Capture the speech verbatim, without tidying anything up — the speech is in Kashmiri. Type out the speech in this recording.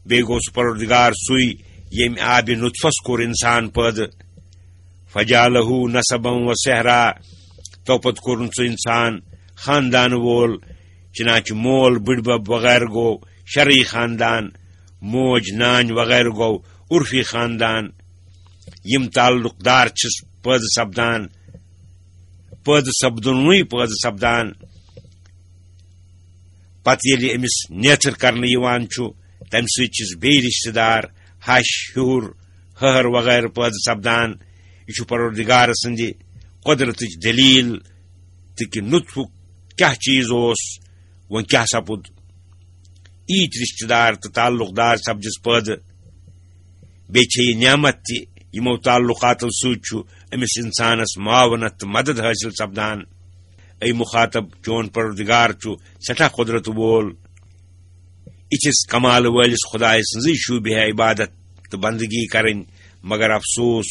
بیٚیہِ گوٚو سُہ پروردگار سُے، ییٚمۍ آبِ نطفس کوٚر انسان پٲدٕ۔ فجعله نسبا و سحرا، تو پتہٕ کوٚرُن سُہ انسان خاندان وول، چنانچہ مول بٕڈبب وغیرہ گوٚو شرعی خاندان، موج نانۍ وغیرہ گوٚو عرفی خاندان۔ یِم تعلق دار چھِس پٲدٕ سپدان، پٲدٕ سپدُنٕے پٲدٕ سپدان۔ پتہٕ ییٚلہِ أمِس نیتھٕر کرنہٕ یِوان چھُ، تمہِ سۭتۍ چھِس بیٚیہِ رشتہٕ دار، ہش، ہیوٚر، ہہر وغیرہ پٲدٕ سپدان۔ یہِ چھُ پروردگار سٕنٛدِ قۄدرتٕچ دٔلیٖل تہٕ کہِ نطفُک کیٛاہ چیٖز اوس، وۄنۍ کیٛاہ سپُد۔ ییٖتۍ رشتہٕ دار تہٕ تعلق دار سپدِس پٲدٕ۔ بیٚیہِ چھےٚ یہِ نعمت تہِ، یِمو تعلقاتو سۭتۍ چھُ أمِس انسانس معاونت تہٕ مدد حٲصِل سپدان۔ اے مخاطب، چون پروردگار چھُ سٮ۪ٹھاہ قۄدرت وول۔ یِتھِس کمال وٲلِس خدایہِ سٕنٛزٕے شوٗبہِ ہے عبادت تہٕ بندگی کرٕنۍ، مگر افسوس،